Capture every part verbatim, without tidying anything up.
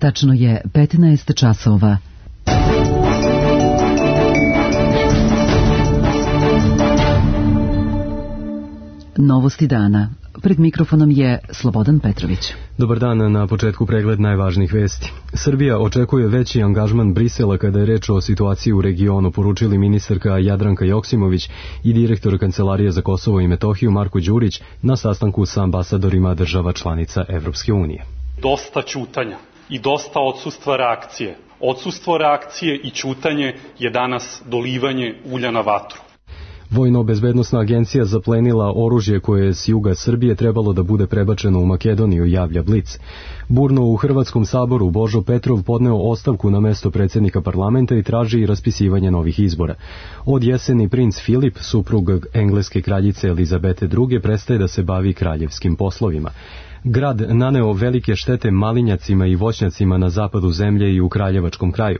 Tačno je petnaest časova. Novosti dana. Pred mikrofonom je Slobodan Petrović. Dobar dan, na početku pregled najvažnijih vesti. Srbija očekuje veći angažman Brisela kada je reč o situaciji u regionu, poručili ministarka Jadranka Joksimović i direktor Kancelarije za Kosovo i Metohiju Marko Đurić na sastanku sa ambasadorima država članica Evropske unije. Dosta ćutanja i dosta odsustva reakcije. Odsustvo reakcije i ćutanje je danas dolivanje ulja na vatru. Vojno-bezbednosna agencija zaplenila oružje koje je s juga Srbije trebalo da bude prebačeno u Makedoniju, javlja Blic. Burno u Hrvatskom saboru Božo Petrov podneo ostavku na mesto predsjednika parlamenta i traži raspisivanje novih izbora. Od jeseni princ Filip, suprug engleske kraljice Elizabete druge, prestaje da se bavi kraljevskim poslovima. Grad naneo velike štete malinjacima i voćnjacima na zapadu zemlje i u Kraljevačkom kraju.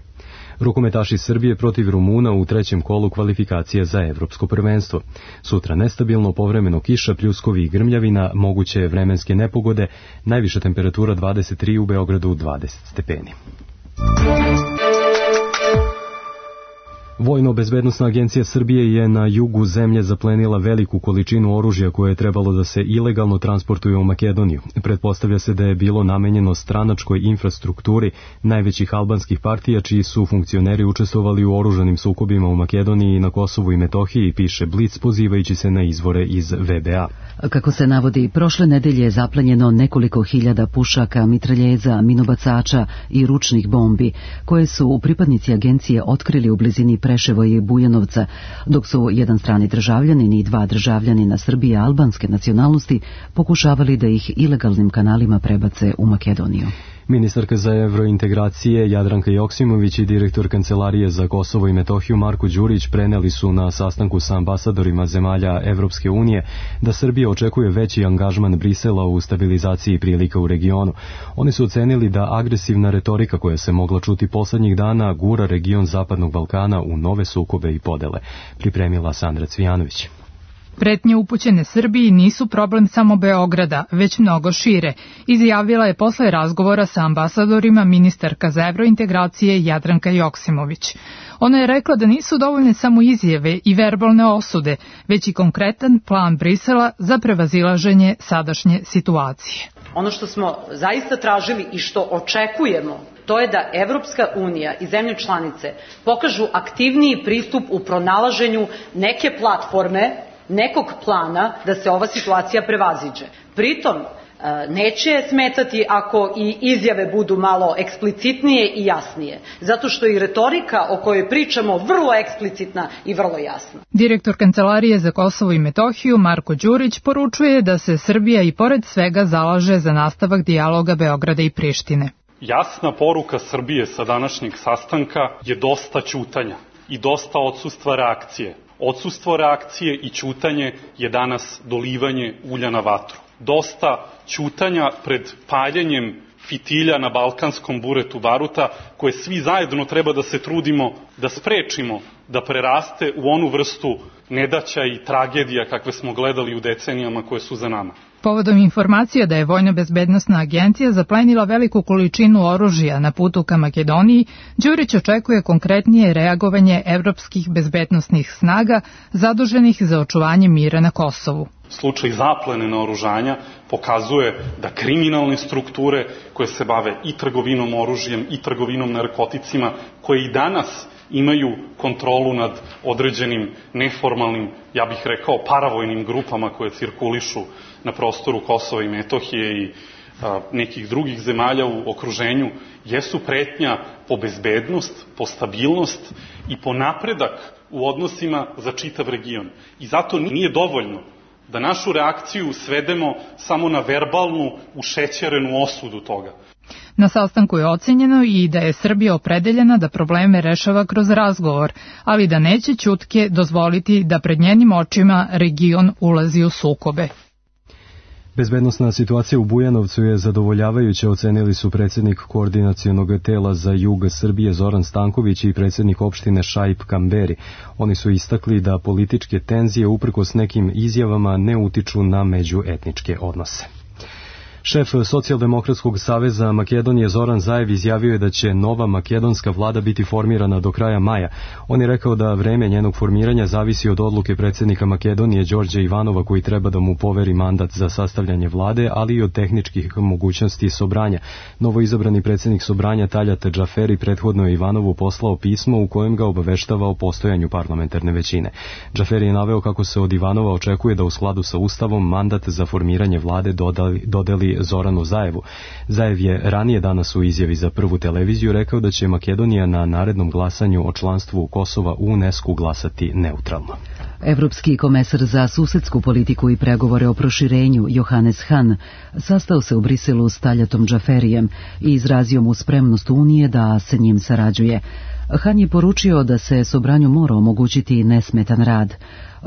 Rukometaši Srbije protiv Rumuna u trećem kolu kvalifikacije za evropsko prvenstvo. Sutra nestabilno, povremeno kiša, pljuskovi i grmljavina, moguće vremenske nepogode, najviša temperatura dvadeset tri, u Beogradu dvadeset stepeni. Vojno-bezbednosna agencija Srbije je na jugu zemlje zaplenila veliku količinu oružja koje je trebalo da se ilegalno transportuje u Makedoniju. Pretpostavlja se da je bilo namenjeno stranačkoj infrastrukturi najvećih albanskih partija čiji su funkcioneri učestvovali u oružanim sukobima u Makedoniji i na Kosovu i Metohiji, piše Blic pozivajući se na izvore iz V B A. Kako se navodi, prošle nedelje je zaplenjeno nekoliko hiljada pušaka, mitraljeza, minobacača i ručnih bombi, koje su pripadnici agencije otkrili u blizini Preševa i Bujanovca, dok su jedan strani državljanin i dva državljanina Srbije albanske nacionalnosti pokušavali da ih ilegalnim kanalima prebace u Makedoniju. Ministarka za evrointegracije Jadranka Joksimović i direktor Kancelarije za Kosovo i Metohiju Marko Đurić preneli su na sastanku sa ambasadorima zemalja Evropske unije da Srbija očekuje veći angažman Brisela u stabilizaciji prilika u regionu. Oni su ocenili da agresivna retorika koja se mogla čuti poslednjih dana gura region Zapadnog Balkana u nove sukobe i podele. Pripremila Sandra Cvijanović. Pretnje upućene Srbiji nisu problem samo Beograda, već mnogo šire, izjavila je posle razgovora sa ambasadorima ministarka za evrointegracije Jadranka Joksimović. Ona je rekla da nisu dovoljne samo izjave i verbalne osude, već i konkretan plan Brisela za prevazilaženje sadašnje situacije. Ono što smo zaista tražili i što očekujemo, to je da Evropska unija i zemlje članice pokažu aktivniji pristup u pronalaženju neke platforme, nekog plana da se ova situacija prevaziđe. Pritom, neće smetati ako i izjave budu malo eksplicitnije i jasnije, zato što i retorika o kojoj pričamo vrlo eksplicitna i vrlo jasna. Direktor Kancelarije za Kosovo i Metohiju Marko Đurić poručuje da se Srbija i pored svega zalaže za nastavak dijaloga Beograda i Prištine. Jasna poruka Srbije sa današnjeg sastanka je dosta ćutanja i dosta odsustva reakcije. Odsustvo reakcije i ćutanje je danas dolivanje ulja na vatru. Dosta ćutanja pred paljenjem fitilja na balkanskom buretu baruta, koje svi zajedno treba da se trudimo da sprečimo da preraste u onu vrstu nedaća i tragedija kakve smo gledali u decenijama koje su za nama. Povodom informacija da je Vojno-bezbednosna agencija zaplenila veliku količinu oružja na putu ka Makedoniji, Đurić očekuje konkretnije reagovanje evropskih bezbednosnih snaga zaduženih za očuvanje mira na Kosovu. Slučaj zaplene naoružanja pokazuje da kriminalne strukture koje se bave i trgovinom oružjem i trgovinom narkoticima, koje i danas imaju kontrolu nad određenim neformalnim, ja bih rekao, paravojnim grupama koje cirkulišu na prostoru Kosova i Metohije i a, nekih drugih zemalja u okruženju, jesu pretnja po bezbednost, po stabilnost i po napredak u odnosima za čitav region. I zato nije dovoljno da našu reakciju svedemo samo na verbalnu, ušećerenu osudu toga. Na sastanku je ocenjeno i da je Srbija opredeljena da probleme rešava kroz razgovor, ali da neće ćutke dozvoliti da pred njenim očima region ulazi u sukobe. Bezbednosna situacija u Bujanovcu je zadovoljavajuća, ocenili su predsjednik koordinacionog tela za jug Srbije Zoran Stanković i predsjednik opštine Šaip Kamberi. Oni su istakli da političke tenzije uprkos nekim izjavama ne utiču na međuetničke odnose. Šef Socijaldemokratskog saveza Makedonije Zoran Zaev izjavio je da će nova makedonska vlada biti formirana do kraja maja. On je rekao da vreme njenog formiranja zavisi od odluke predsjednika Makedonije Đorđa Ivanova, koji treba da mu poveri mandat za sastavljanje vlade, ali i od tehničkih mogućnosti Sobranja. Novoizabrani predsjednik Sobranja Taljat Džaferi prethodno je Ivanovu poslao pismo u kojem ga obaveštava o postojanju parlamentarne većine. Džaferi je naveo kako se od Ivanova očekuje da u skladu sa Ustavom mandat za formiranje vlade dodali, dodeli Zoranu Zaevu. Zaev je ranije danas u izjavi za Prvu televiziju rekao da će Makedonija na narednom glasanju o članstvu Kosova u UNESCO glasati neutralno. Evropski komesar za susedsku politiku i pregovore o proširenju Johannes Hahn sastao se u Briselu s Taljatom Džaferijem i izrazio mu spremnost Unije da se njim sarađuje. Hahn je poručio da se Sobranju mora omogućiti nesmetan rad.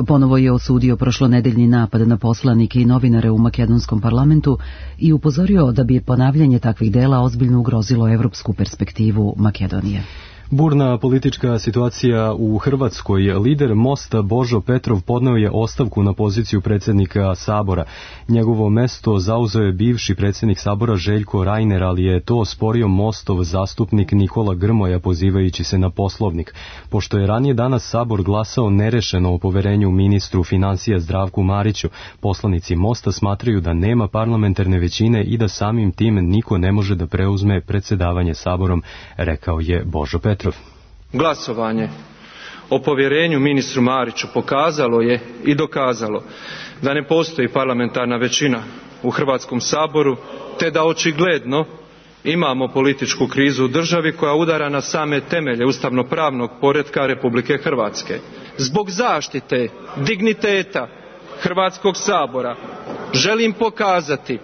Ponovo je osudio prošlonedeljni napad na poslanike i novinare u makedonskom parlamentu i upozorio da bi ponavljanje takvih dela ozbiljno ugrozilo evropsku perspektivu Makedonije. Burna politička situacija u Hrvatskoj. Lider Mosta Božo Petrov podneo je ostavku na poziciju predsjednika Sabora. Njegovo mesto zauzeo je bivši predsjednik Sabora Željko Reiner, ali je to osporio Mostov zastupnik Nikola Grmoja pozivajući se na Poslovnik. Pošto je ranije danas Sabor glasao nerešeno o poverenju ministru financija Zdravku Mariću, poslanici Mosta smatraju da nema parlamentarne većine i da samim tim niko ne može da preuzme predsjedavanje Saborom, rekao je Božo Petrov. Glasovanje o povjerenju ministru Mariću pokazalo je i dokazalo da ne postoji parlamentarna većina u Hrvatskom saboru, te da očigledno imamo političku krizu u državi koja udara na same temelje ustavno-pravnog poretka Republike Hrvatske. Zbog zaštite digniteta Hrvatskog sabora želim pokazati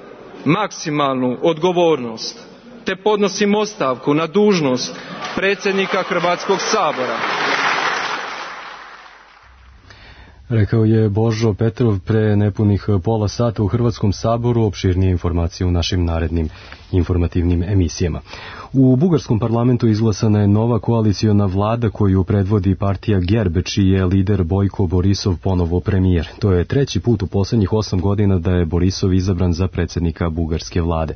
maksimalnu odgovornost te podnosim ostavku na dužnost predsjednika Hrvatskog sabora. Rekao je Božo Petrov pre nepunih pola sata u Hrvatskom saboru. Opširnije informacije u našim narednim informativnim emisijama. U bugarskom parlamentu izglasana je nova koaliciona vlada koju predvodi partija Gerb, čiji je lider Bojko Borisov ponovo premijer. To je treći put u posljednjih osam godina da je Borisov izabran za predsjednika bugarske vlade.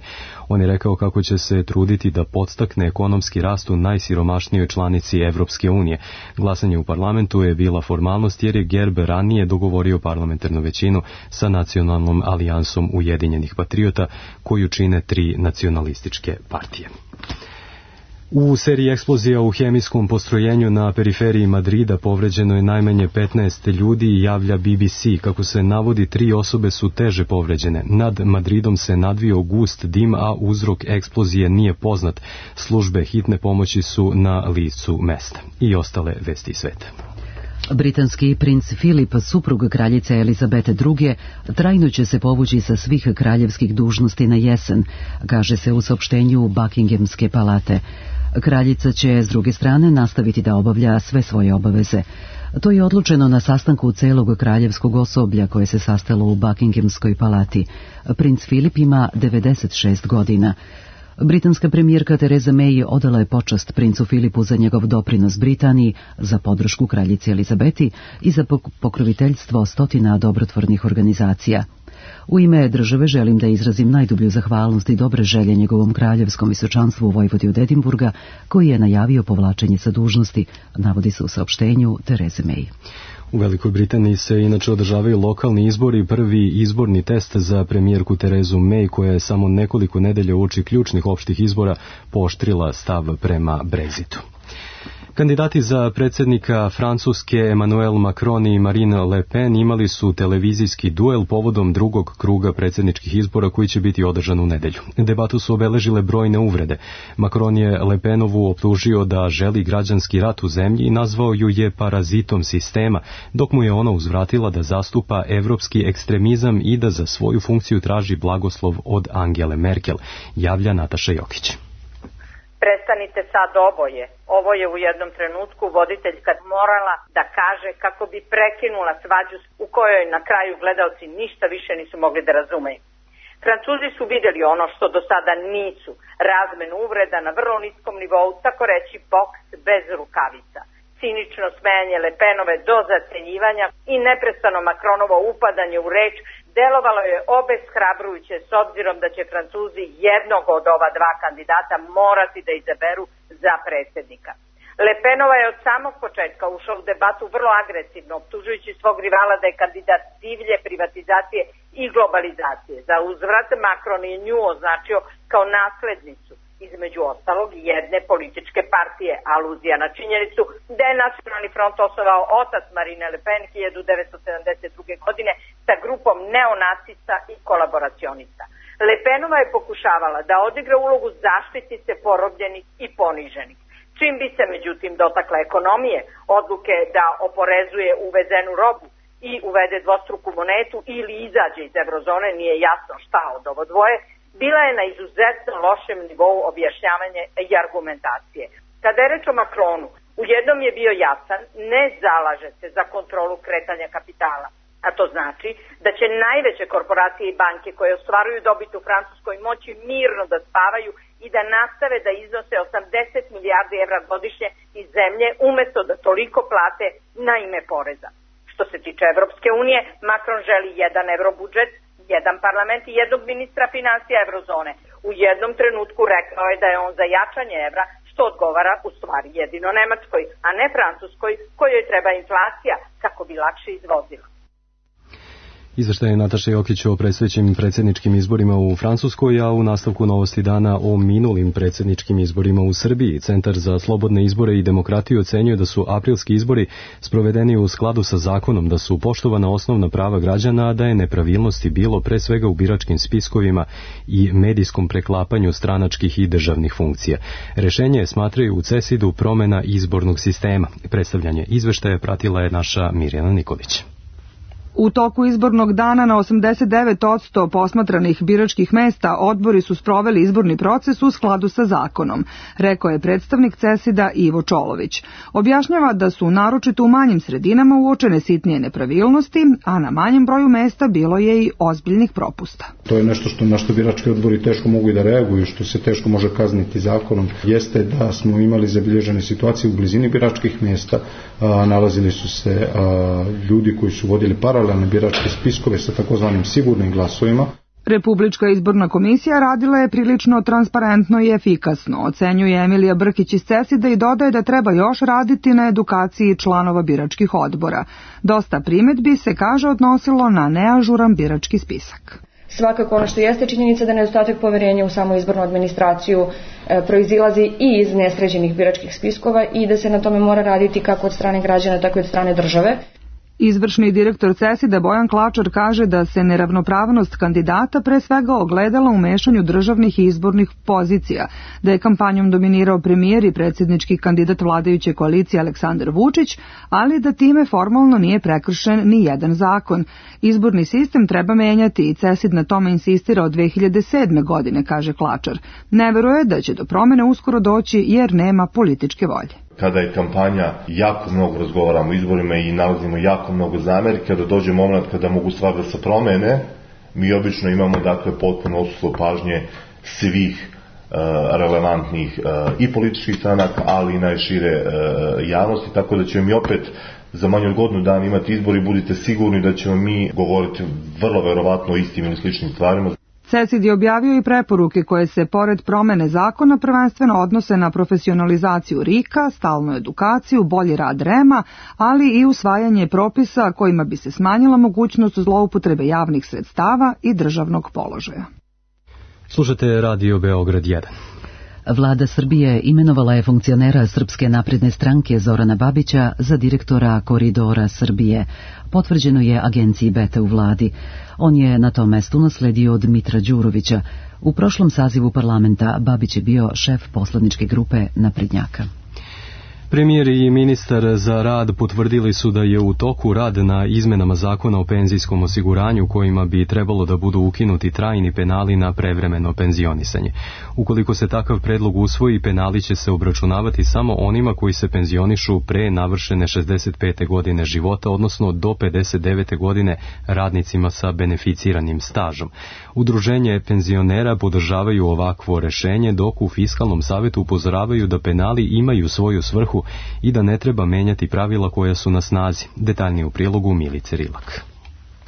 On je rekao kako će se truditi da podstakne ekonomski rast u najsiromašnijoj članici Evropske unije. Glasanje u parlamentu je bila formalnost jer je Gerb ranije dogovorio parlamentarnu većinu sa nacionalnom alijansom Ujedinjenih patriota koju čine tri nacionalističke partije. U seriji eksplozija u hemijskom postrojenju na periferiji Madrida povređeno je najmanje petnaest ljudi i javlja B B C. Kako se navodi, tri osobe su teže povređene. Nad Madridom se nadvio gust dim, a uzrok eksplozije nije poznat. Službe hitne pomoći su na licu mesta. I ostale vesti sveta. Britanski princ Filip, suprug kraljice Elizabete druge, trajno će se povući sa svih kraljevskih dužnosti na jesen, kaže se u saopštenju Buckinghamske palate. Kraljica će, s druge strane, nastaviti da obavlja sve svoje obaveze. To je odlučeno na sastanku celog kraljevskog osoblja koje se sastalo u Buckinghamskoj palati. Princ Filip ima devedeset šest godina. Britanska premijerka Theresa May odala je počast princu Filipu za njegov doprinos Britaniji, za podršku kraljici Elizabeti i za pokroviteljstvo stotina dobrotvornih organizacija. U ime države želim da izrazim najdublju zahvalnost i dobre želje njegovom kraljevskom visočanstvu u Vojvodi od Edinburga, koji je najavio povlačenje sa dužnosti, navodi se u saopštenju Therese May. U Velikoj Britaniji se inače održavaju lokalni izbori. Prvi izborni test za premijerku Terezu May, koja je samo nekoliko nedelja uoči ključnih opštih izbora pooštrila stav prema Brexitu. Kandidati za predsjednika Francuske Emmanuel Macron i Marine Le Pen imali su televizijski duel povodom drugog kruga predsjedničkih izbora koji će biti održan u nedelju. Debatu su obeležile brojne uvrede. Macron je Le Penovu optužio da želi građanski rat u zemlji i nazvao ju je parazitom sistema, dok mu je ona uzvratila da zastupa evropski ekstremizam i da za svoju funkciju traži blagoslov od Angele Merkel, javlja Nataša Jokić. Prestanite sad oboje. Ovo je u jednom trenutku voditeljka morala da kaže kako bi prekinula svađu u kojoj na kraju gledaoci ništa više nisu mogli da razumeju. Francuzi su vidjeli ono što do sada nisu, razmenu uvreda na vrlo niskom nivou, tako reći boks bez rukavica. Cinično smejanje Le Penove do zacenjivanja i neprestano Macronovo upadanje u reč Delovalo je obeshrabrujuće s obzirom da će Francuzi jednog od ova dva kandidata morati da izaberu za predsjednika. Le Penova je od samog početka ušao u debatu vrlo agresivno, optužujući svog rivala da je kandidat divlje privatizacije i globalizacije. Za uzvrat Macron je nju označio kao naslednicu, između ostalog jedne političke partije, aluzija na činjenicu da je Nacionalni front osnovao otac Marine Le Pen hiljadu devetsto sedamdeset druge. godine sa grupom neonacista i kolaboracionista. Le Penova je pokušavala da odigra ulogu zaštitnice porobljenih i poniženih. Čim bi se međutim dotakla ekonomije, odluke da oporezuje uvezenu robu i uvede dvostruku monetu ili izađe iz eurozone, nije jasno šta od ovo dvoje, bila je na izuzetno lošem nivou objašnjavanja i argumentacije. Kada je reč o Macronu, u jednom je bio jasan, ne zalaže se za kontrolu kretanja kapitala. A to znači da će najveće korporacije i banke koje ostvaruju dobit u Francuskoj moći mirno da spavaju i da nastave da iznose osamdeset milijardi evra godišnje iz zemlje umjesto da toliko plate na ime poreza. Što se tiče Evropske unije, Macron želi jedan euro budžet, jedan parlament i jednog ministra financija eurozone. U jednom trenutku rekao je da je on za jačanje evra, što odgovara u stvari jedino Nemačkoj, a ne Francuskoj, kojoj treba inflacija kako bi lakše izvozila. Izveštaj Nataše Jokić o predstojećim predsjedničkim izborima u Francuskoj, a u nastavku Novosti dana o minulim predsjedničkim izborima u Srbiji. Centar za slobodne izbore i demokratiju ocenjuje da su aprilski izbori sprovedeni u skladu sa zakonom, da su poštovana osnovna prava građana, a da je nepravilnosti bilo pre svega u biračkim spiskovima i medijskom preklapanju stranačkih i državnih funkcija. Rešenje smatraju u CESID-u promena izbornog sistema. Predstavljanje izveštaja pratila je naša Mirjana Nikolić. U toku izbornog dana na osamdeset devet posto posmatranih biračkih mesta odbori su sproveli izborni proces u skladu sa zakonom, rekao je predstavnik CESID-a Ivo Čolović. Objašnjava da su naročito u manjim sredinama uočene sitnije nepravilnosti, a na manjem broju mesta bilo je i ozbiljnih propusta. To je nešto što, na što birački odbori teško mogu i da reaguju, što se teško može kazniti zakonom, jeste da smo imali zabilježene situacije u blizini biračkih mesta, a, nalazili su se a, ljudi koji su vodili paralelne biračke spiskove sa takozvanim sigurnim glasovima. Republička izborna komisija radila je prilično transparentno i efikasno, ocenjuje Emilija Brkić iz CESID-a i dodaje da treba još raditi na edukaciji članova biračkih odbora. Dosta primedbi se, kaže, odnosilo na neažuran birački spisak. Svakako ono što jeste činjenica da nedostatak poverenja u samu izbornu administraciju e, proizilazi i iz nesređenih biračkih spiskova i da se na tome mora raditi kako od strane građana, tako i od strane države. Izvršni direktor CESID-a Bojan Klačar kaže da se neravnopravnost kandidata pre svega ogledala u mešanju državnih i izbornih pozicija, da je kampanjom dominirao premijer i predsjednički kandidat vladajuće koalicije Aleksandar Vučić, ali da time formalno nije prekršen ni jedan zakon. Izborni sistem treba menjati i CESID na tome insistira od dve hiljade sedme. godine, kaže Klačar. Ne veruje da će do promene uskoro doći jer nema političke volje. Kada je kampanja, jako mnogo razgovaramo o izborima i nalazimo jako mnogo zamerki, kada dođe moment kada mogu stvar da se promene, mi obično imamo dakle potpuno odsustvo pažnje svih uh, relevantnih uh, i političkih stranaka, ali i najšire uh, javnosti, tako da ćemo mi opet za manje od godinu dana imati izbor i budite sigurni da ćemo mi govoriti vrlo verovatno o istim ili sličnim stvarima. CESID je objavio i preporuke koje se, pored promene zakona, prvenstveno odnose na profesionalizaciju RIK-a, stalnu edukaciju, bolji rad REM-a, ali i usvajanje propisa kojima bi se smanjila mogućnost zloupotrebe javnih sredstava i državnog položaja. Slušate Radio Beograd jedan. Vlada Srbije imenovala je funkcionera Srpske napredne stranke Zorana Babića za direktora Koridora Srbije. Potvrđeno je agenciji Beta u vladi. On je na tom mestu nasledio Dmitra Đurovića. U prošlom sazivu parlamenta Babić je bio šef poslaničke grupe Naprednjaka. Premijer i ministar za rad potvrdili su da je u toku rad na izmenama zakona o penzijskom osiguranju kojima bi trebalo da budu ukinuti trajni penali na prevremeno penzionisanje. Ukoliko se takav predlog usvoji, penali će se obračunavati samo onima koji se penzionišu pre navršene šezdeset pete godine života, odnosno do pedeset devete godine radnicima sa beneficiranim stažom. Udruženje penzionera podržavaju ovakvo rešenje, dok u Fiskalnom savetu upozoravaju da penali imaju svoju svrhu i da ne treba menjati pravila koja su na snazi. Detaljnije u prilogu Milice Rilak.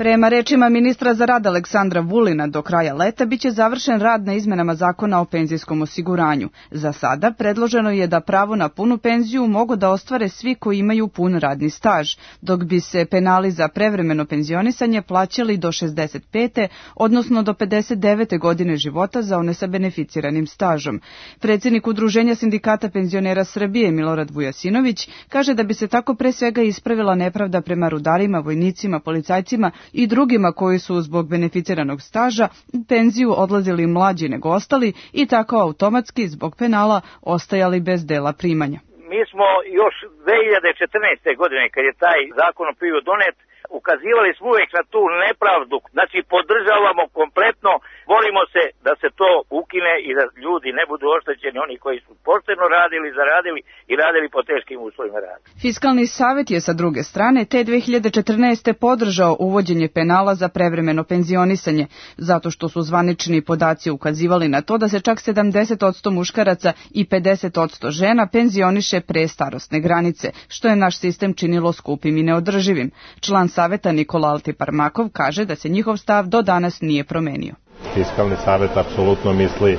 Prema rečima ministra za rad Aleksandra Vulina, do kraja leta biće završen rad na izmenama zakona o penzijskom osiguranju. Za sada predloženo je da pravo na punu penziju mogu da ostvare svi koji imaju pun radni staž, dok bi se penali za prevremeno penzionisanje plaćali do šezdeset pete odnosno do pedeset devete godine života za one sa beneficiranim stažom. Predsjednik Udruženja sindikata penzionera Srbije Milorad Vujasinović kaže da bi se tako pre svega ispravila nepravda prema rudarima, vojnicima, policajcima i drugima koji su zbog beneficiranog staža u penziju odlazili mlađi nego ostali i tako automatski zbog penala ostajali bez dela primanja. Mi smo još dve hiljade četrnaeste. godine, kad je taj zakon bio donet, ukazivali smo uvijek na tu nepravdu. Znači, podržavamo kompletno, borimo se da se to ukine i da ljudi ne budu oštećeni, oni koji su pošteno radili, zaradili i radili po teškim uslovima rada. Fiskalni savet je sa druge strane te dve hiljade četrnaeste. podržao uvođenje penala za prevremeno penzionisanje, zato što su zvanični podaci ukazivali na to da se čak sedamdeset posto muškaraca i pedeset posto žena penzioniše pre starosne granice, što je naš sistem činilo skupim i neodrživim. Član saveta Nikola Altiparmakov kaže da se njihov stav do danas nije promenio. Fiskalni savet apsolutno misli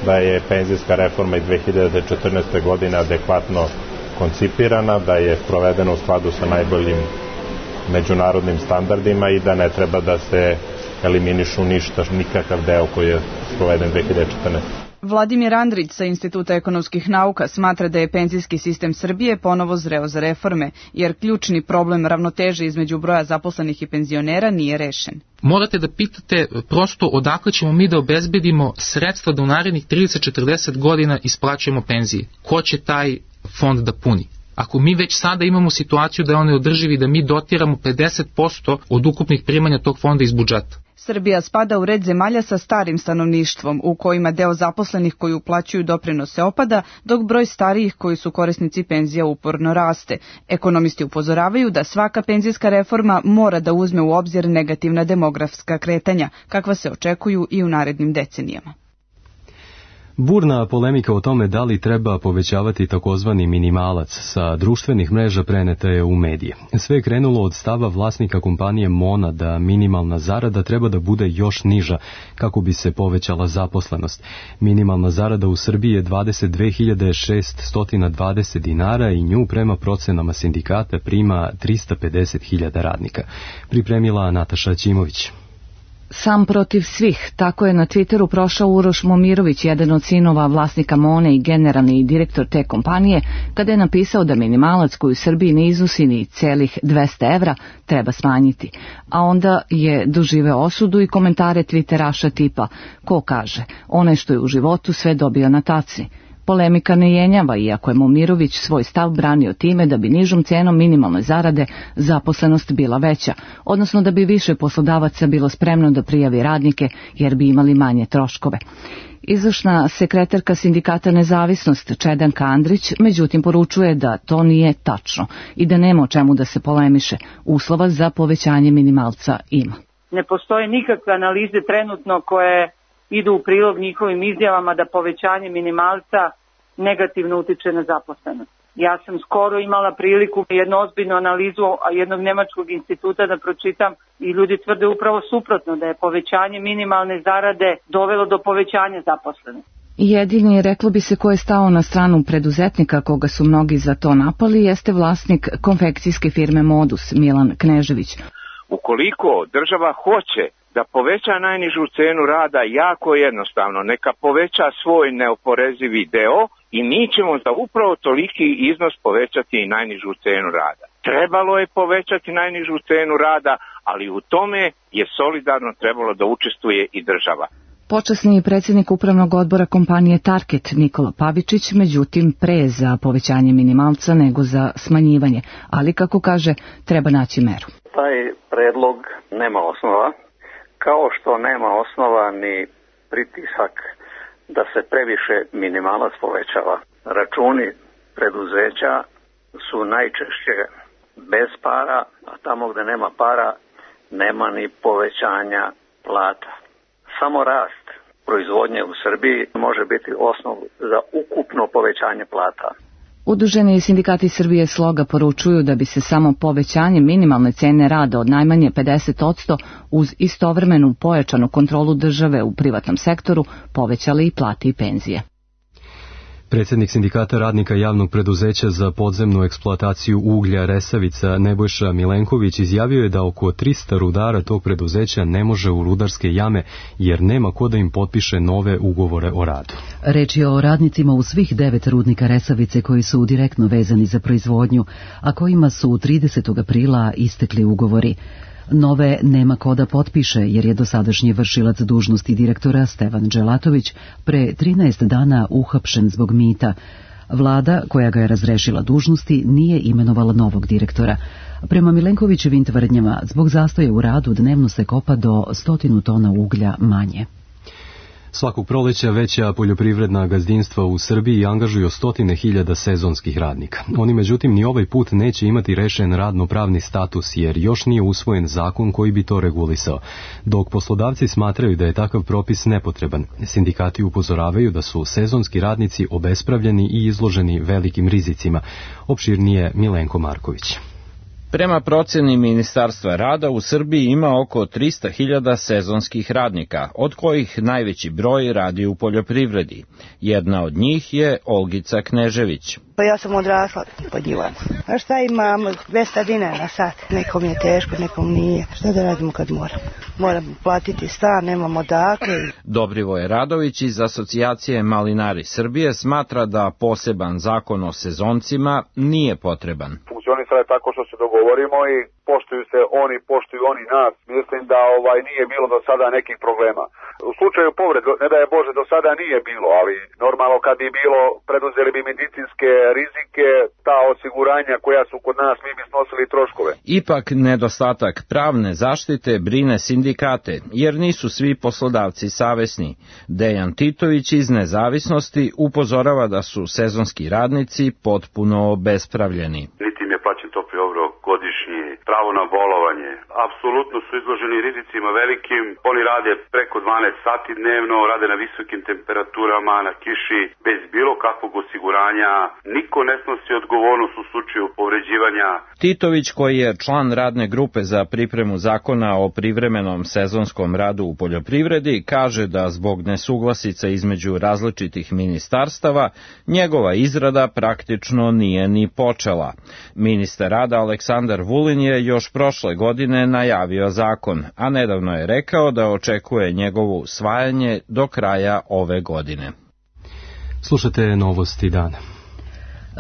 da je penzijska reforma iz dve hiljade četrnaeste. godine adekvatno koncipirana, da je provedena u skladu sa najboljim međunarodnim standardima i da ne treba da se eliminišu ništa, nikakav deo koji je proveden dve hiljade četrnaeste. Vladimir Andrić sa Instituta ekonomskih nauka smatra da je penzijski sistem Srbije ponovo zreo za reforme, jer ključni problem ravnoteže između broja zaposlenih i penzionera nije rešen. Morate da pitate prosto odakle ćemo mi da obezbedimo sredstva da u narednih trideset do četrdeset godina isplaćujemo penzije. Ko će taj fond da puni? Ako mi već sada imamo situaciju da je on neodrživi, da mi dotiramo pedeset posto od ukupnih primanja tog fonda iz budžeta. Srbija spada u red zemalja sa starim stanovništvom, u kojima deo zaposlenih koji uplaćuju doprinose opada, dok broj starijih koji su korisnici penzija uporno raste. Ekonomisti upozoravaju da svaka penzijska reforma mora da uzme u obzir negativna demografska kretanja, kakva se očekuju i u narednim decenijama. Burna polemika o tome da li treba povećavati takozvani minimalac sa društvenih mreža preneta je u medije. Sve je krenulo od stava vlasnika kompanije Mona da minimalna zarada treba da bude još niža kako bi se povećala zaposlenost. Minimalna zarada u Srbiji je dvadeset dve hiljade šeststo dvadeset dinara i nju prema procenama sindikata prima trista pedeset hiljada radnika. Pripremila Nataša Ćimović. Sam protiv svih, tako je na Twitteru prošao Uroš Momirović, jedan od sinova vlasnika Mone i generalni direktor te kompanije, kada je napisao da minimalac koji u Srbiji ne iznosi ni celih dvesta evra treba smanjiti. A onda je doživeo osudu i komentare Twitteraša tipa: ko kaže, onaj što je u životu sve dobio na taci. Polemika ne jenjava, iako je Momirović svoj stav branio time da bi nižom cenom minimalne zarade zaposlenost bila veća, odnosno da bi više poslodavaca bilo spremno da prijavi radnike jer bi imali manje troškove. Izvršna sekretarka sindikata Nezavisnost Čedanka Andrić međutim poručuje da to nije tačno i da nema o čemu da se polemiše. Uslova za povećanje minimalca ima. Ne postoje nikakve analize trenutno koje idu u prilog njihovim izjavama da povećanje minimalca negativno utiče na zaposlenost. Ja sam skoro imala priliku jednu ozbiljnu analizu jednog nemačkog instituta da pročitam i ljudi tvrde upravo suprotno, da je povećanje minimalne zarade dovelo do povećanja zaposlenosti. Jedini, reklo bi se, ko je stao na stranu preduzetnika, koga su mnogi za to napali, jeste vlasnik konfekcijske firme Modus, Milan Knežević. Ukoliko država hoće da poveća najnižu cenu rada, jako jednostavno, neka poveća svoj neoporezivi deo i mi ćemo za upravo toliki iznos povećati i najnižu cenu rada. Trebalo je povećati najnižu cenu rada, ali u tome je solidarno trebalo da učestvuje i država. Počasni predsjednik upravnog odbora kompanije Target Nikola Pavičić, međutim pre za povećanje minimalca nego za smanjivanje, ali kako kaže, treba naći meru. Taj predlog nema osnova, kao što nema osnova ni pritisak da se previše minimalac povećava. Računi preduzeća su najčešće bez para, a tamo gde nema para nema ni povećanja plata. Samo rast proizvodnje u Srbiji može biti osnov za ukupno povećanje plata. Udruženi sindikati Srbije Sloga poručuju da bi se samo povećanje minimalne cene rada od najmanje pedeset posto uz istovremenu pojačanu kontrolu države u privatnom sektoru povećali i plate i penzije. Predsjednik Sindikata radnika javnog preduzeća za podzemnu eksploataciju uglja Resavica Nebojša Milenković izjavio je da oko trista rudara tog preduzeća ne može u rudarske jame jer nema ko da im potpiše nove ugovore o radu. Reč je o radnicima u svih devet rudnika Resavice koji su direktno vezani za proizvodnju, a kojima su tridesetog aprila istekli ugovori. Nove nema ko da potpiše jer je dosadašnji vršilac dužnosti direktora Stevan Dželatović pre trinaest dana uhapšen zbog mita. Vlada, koja ga je razrešila dužnosti, nije imenovala novog direktora. Prema Milenkovićevim tvrdnjama, zbog zastoja u radu dnevno se kopa do stotinu tona uglja manje. Svakog proleća veća poljoprivredna gazdinstva u Srbiji angažuju stotine hiljada sezonskih radnika. Oni međutim ni ovaj put neće imati rešen radno-pravni status jer još nije usvojen zakon koji bi to regulisao. Dok poslodavci smatraju da je takav propis nepotreban, sindikati upozoravaju da su sezonski radnici obespravljeni i izloženi velikim rizicima. Opširnije Milenko Marković. Prema procjeni Ministarstva rada u Srbiji ima oko trista hiljada sezonskih radnika, od kojih najveći broj radi u poljoprivredi. Jedna od njih je Olgica Knežević. Pa ja sam odrasla pod njima. A šta imamo? dvesta dinara na sat. Nekom je teško, nekom nije. Šta da radimo kad moram? Moram platiti stan, nemamo dakle. Dobrivoje Radović iz Asocijacije Malinari Srbije smatra da poseban zakon o sezoncima nije potreban. Funkcionisala je tako što se dogovorimo i poštuju se oni, poštuju oni nas. Mislim da ovaj nije bilo do sada nekih problema. U slučaju povrede, ne da je Bože, do sada nije bilo, ali normalno kad bi bilo, preduzeli bi medicinske rizike, ta osiguranja koja su kod nas, mi bi snosili troškove. Ipak nedostatak pravne zaštite brine sindikate, jer nisu svi poslodavci savesni. Dejan Titović iz Nezavisnosti upozorava da su sezonski radnici potpuno obespravljeni. Niti im je plaćen topli obrok godišnji, pravo na bolovanje. Apsolutno su izloženi rizicima velikim. Oni rade preko dvanaest sati dnevno, rade na visokim temperaturama, na kiši, bez bilo kakvog osiguranja. Niko ne snosi odgovornost u slučaju povređivanja. Titović, koji je član radne grupe za pripremu zakona o privremenom sezonskom radu u poljoprivredi, kaže da zbog nesuglasica između različitih ministarstava njegova izrada praktično nije ni počela. Ministar rada Aleksandar Vulin je još prošle godine najavio zakon, a nedavno je rekao da očekuje njegovo usvajanje do kraja ove godine. Slušate novosti dana.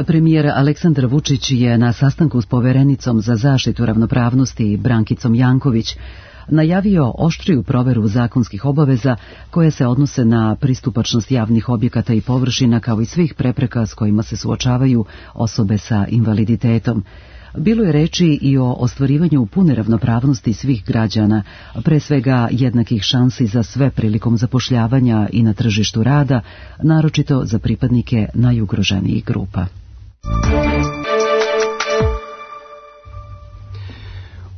Premijer Aleksandar Vučić je na sastanku s poverenicom za zaštitu ravnopravnosti Brankicom Janković najavio oštriju proveru zakonskih obaveza koje se odnose na pristupačnost javnih objekata i površina kao i svih prepreka s kojima se suočavaju osobe sa invaliditetom. Bilo je reči i o ostvarivanju pune ravnopravnosti svih građana, pre svega jednakih šansi za sve prilikom zapošljavanja i na tržištu rada, naročito za pripadnike najugroženijih grupa.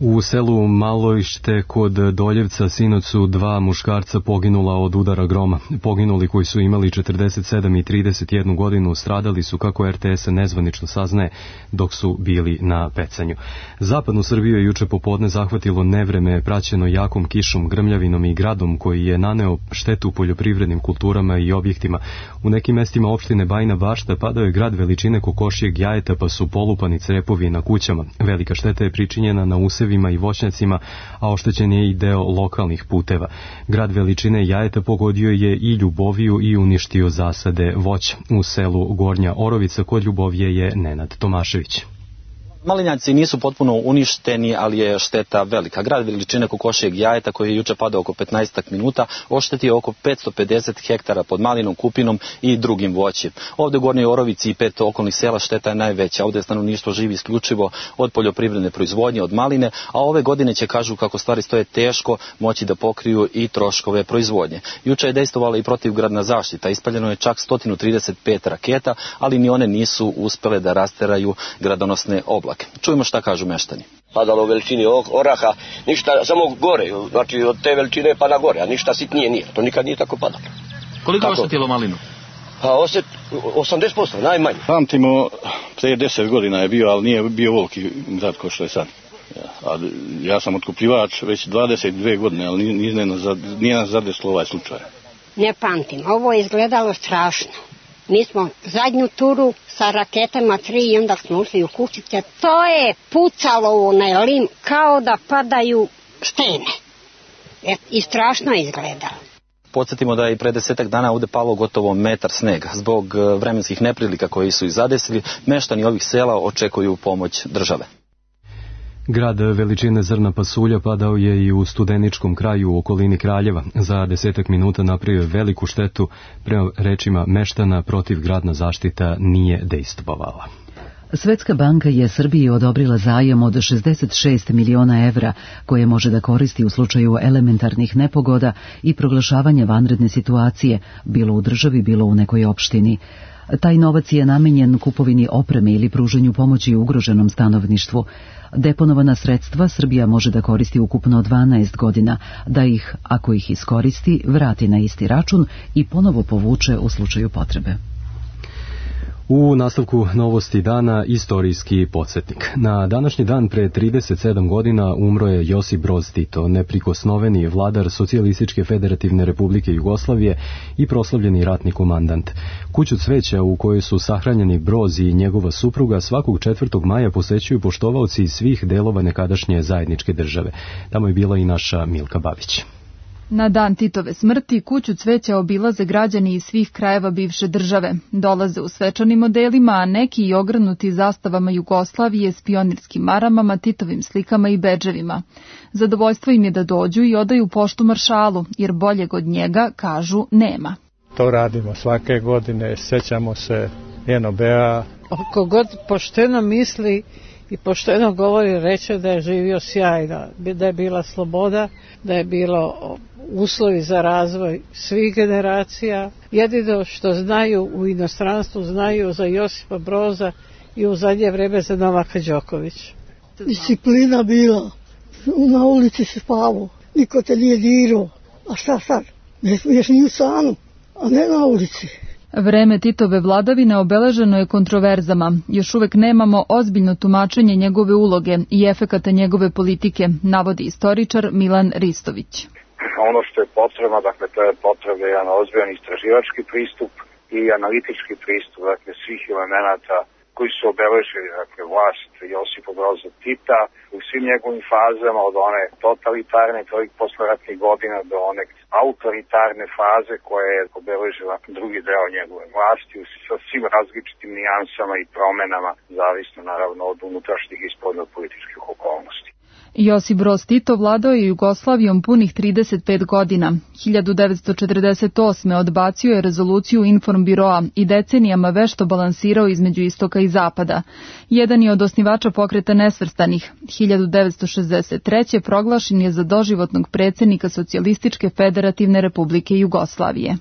U selu Malojšte kod Doljevca sinoć su dva muškarca poginula od udara groma. Poginuli koji su imali četrdeset sedam i trideset jednu godinu stradali su, kako er te es nezvanično saznaje, dok su bili na pecanju. Zapadnu Srbiju je juče popodne zahvatilo nevreme praćeno jakom kišom, grmljavinom i gradom koji je naneo štetu poljoprivrednim kulturama i objektima. U nekim mestima opštine Bajina Bašta padao je grad veličine kokošijeg jajeta pa su polupani crepovi na kućama. Velika šteta je pričinjena na usevima i voćnjacima, a oštećen je i deo lokalnih puteva. Grad veličine jajeta pogodio je i Ljuboviju i uništio zasade voća. U selu Gornja Orovica kod Ljubovije je Nenad Tomašević. Malinjaci nisu potpuno uništeni, ali je šteta velika. Grad veličine kokošijeg jajeta, koji je juče padao oko petnaest minuta, oštetio oko petsto pedeset hektara pod malinom, kupinom i drugim voćem. Ovde u Gornjoj Orovici i pet okolnih sela šteta je najveća. Ovde stanovništvo živi isključivo od poljoprivredne proizvodnje, od maline, a ove godine će, kažu kako stvari stoje, teško moći da pokriju i troškove proizvodnje. Juče je dejstvovala i protivgradna zaštita. Ispaljeno je čak sto trideset pet raketa, ali ni one nisu uspele da rasteraju gradonosne oblake. Čujemo šta kažu meštani. Padalo u veličini oraha, ništa, samo gore, znači od te veličine pa na gore, a ništa sitnije nije. To nikad nije tako padalo. Koliko je oštetilo malinu? A osjet, osamdeset posto, najmanje. Pamtimo, prije deset godina je bio, ali nije bio voliki grad kao što je sad. Ja, ja sam otkupljivač već dvadeset dvije godine, ali nije, nije, nije nas zadeslo ovaj slučaj. Ne pamtim, ovo je izgledalo strašno. Mi smo zadnju turu sa raketama tri i onda smo ušli u kućice. To je pucalo u onaj lim kao da padaju stene. E, I strašno je izgledalo. Podsjetimo da je i pre desetak dana ovde palo gotovo metar snega. Zbog vremenskih neprilika koji su ih zadesili, meštani ovih sela očekuju pomoć države. Grad veličine zrna pasulja padao je i u Studeničkom kraju u okolini Kraljeva. Za desetak minuta napravio veliku štetu, prema rečima meštana protivgradna zaštita nije dejstvovala. Svetska banka je Srbiji odobrila zajam od šezdeset šest miliona evra koje može da koristi u slučaju elementarnih nepogoda i proglašavanja vanredne situacije, bilo u državi, bilo u nekoj opštini. Taj novac je namenjen kupovini opreme ili pruženju pomoći ugroženom stanovništvu. Deponovana sredstva Srbija može da koristi ukupno dvanaest godina, da ih, ako ih iskoristi, vrati na isti račun i ponovo povuče u slučaju potrebe. U nastavku novosti dana istorijski podsjetnik. Na današnji dan pre trideset sedam godina umro je Josip Broz Tito, neprikosnoveni vladar Socijalističke federativne republike Jugoslavije i proslavljeni ratni komandant. Kuću cveća u kojoj su sahranjeni Broz i njegova supruga svakog četvrtog maja posećuju poštovaoci svih delova nekadašnje zajedničke države. Tamo je bila i naša Milka Babić. Na dan Titove smrti kuću cveća obilaze građani iz svih krajeva bivše države. Dolaze u svečanim modelima, a neki i ogrnuti zastavama Jugoslavije s pionirskim maramama, Titovim slikama i bedževima. Zadovoljstvo im je da dođu i odaju poštu maršalu, jer boljeg od njega, kažu, nema. To radimo svake godine, sećamo se en o be a. Ako god pošteno misli i pošteno govori, reče da je živio sjajno, da je bila sloboda, da je bilo uslovi za razvoj svih generacija. Jedino što znaju u inostranstvu, znaju za Josipa Broza i u zadnje vreme za Novaka Đokovića. Disciplina bila, na ulici se spavao, niko te nije dirao, a šta sad, ne smiješ ni u stanu, a ne na ulici. Vreme Titove vladavine obeleženo je kontroverzama. Još uvek nemamo ozbiljno tumačenje njegove uloge i efekata njegove politike, navodi istoričar Milan Ristović. Ono što je potrebno, dakle, to je potrebno jedan ozbiljan istraživački pristup i analitički pristup, dakle, svih elemenata koji su obeležili, dakle, vlast Josipa Broza Tita u svim njegovim fazama, od one totalitarne, tih posleratnih godina do one autoritarne faze koja je obeležila drugi deo njegove vlasti sa svim različitim nijansama i promenama, zavisno naravno od unutrašnjih i spoljnopolitičkih okolnosti. Josip Broz Tito vladao je Jugoslavijom punih trideset pet godina. hiljadu devetsto četrdeset osme odbacio je rezoluciju Informbiroa i decenijama vešto balansirao između istoka i zapada. Jedan je od osnivača pokreta nesvrstanih. hiljadu devetsto šezdeset treće proglašen je za doživotnog predsjednika Socijalističke federativne republike Jugoslavije.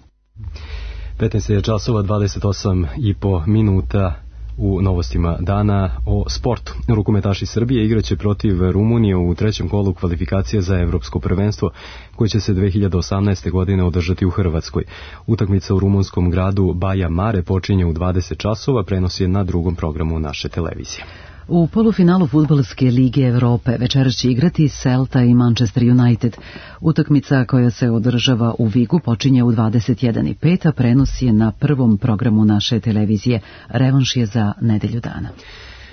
petnaest je časova dvadeset osam i po minuta. U novostima dana o sportu. Rukometaši Srbije igraće protiv Rumunije u trećem kolu kvalifikacija za evropsko prvenstvo koje će se dve hiljade osamnaeste. godine održati u Hrvatskoj. Utakmica u rumunskom gradu Baja Mare počinje u dvadeset časova, prenos je na drugom programu naše televizije. U polufinalu Fudbalske lige Evrope večeras će igrati Celta i Manchester United. Utakmica koja se održava u Vigu počinje u dvadeset jedan i pet, a prenos je na prvom programu naše televizije. Revanš je za nedelju dana.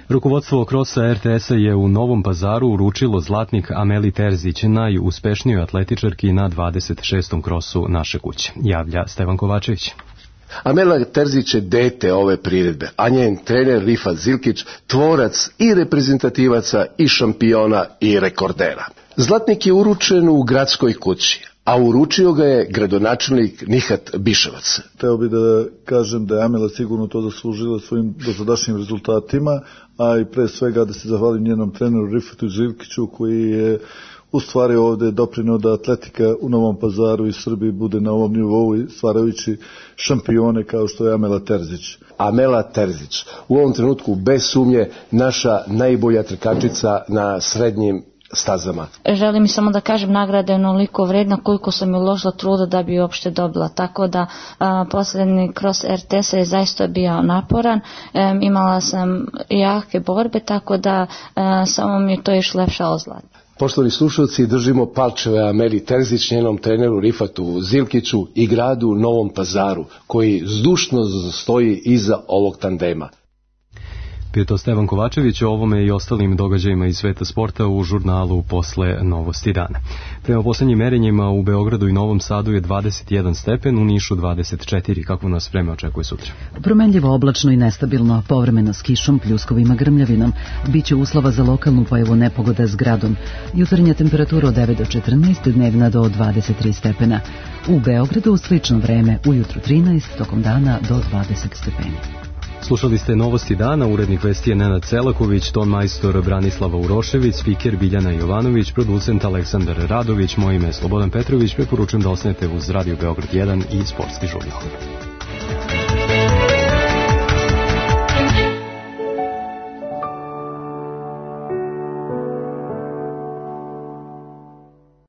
Rukovodstvo krosa er te esa je u Novom Pazaru uručilo zlatnik Ameli Terzić, najuspešnijoj atletičarki na dvadeset šestom krosu naše kuće. Javlja Stevan Kovačević. Amela Terzić je dete ove priredbe, a njen trener Rifat Zilkić tvorac i reprezentativaca i šampiona i rekordera. Zlatnik je uručen u gradskoj kući, a uručio ga je gradonačelnik Nihat Biševac. Teo bi da kažem da je Amela sigurno to zaslužila svojim dosadašnjim rezultatima, a i pre svega da se zahvalim njenom treneru Rifatu Zilkiću koji je u stvari ovde doprineo da atletika u Novom Pazaru i Srbiji bude na ovom nivou i stvarajući šampione kao što je Amela Terzić. Amela Terzić, u ovom trenutku bez sumnje naša najbolja trkačica na srednjim stazama. Želim mi samo da kažem, nagrada je onoliko vredna koliko sam je uložila truda da bi uopšte dobila, tako da a, posljednji kroz R T S je zaista bio naporan, e, imala sam jake borbe, tako da a, samo mi je to išlo lepša ozlad. Poštovani slušalci, držimo palčeve Ameli Terzić, njenom treneru Rifatu Zilkiću i gradu Novom Pazaru, koji zdušno stoji iza ovog tandema. Bio to Stevan Kovačević o ovome i ostalim događajima iz sveta sporta u žurnalu Posle novosti dana. Prema poslednjim merenjima u Beogradu i Novom Sadu je dvadeset jedan stepen, u Nišu dvadeset četiri. Kako nas vreme očekuje sutra? Promenljivo, oblačno i nestabilno, povremeno s kišom, pljuskovima, grmljavinom. Biće uslova za lokalnu pojavu nepogoda s gradom. Jutarnja temperatura od devet do četrnaest, dnevna do dvadeset tri stepena. U Beogradu slično vreme, ujutru trinaest, tokom dana do dvadeset stepeni. Slušali ste novosti dana, urednik vesti je Nenad Selaković, ton majstor Branislava Urošević, spiker Biljana Jovanović, producent Aleksandar Radović, moje ime je Slobodan Petrović, preporučujem da ostanete uz Radio Beograd jedan i Sportski žurnal.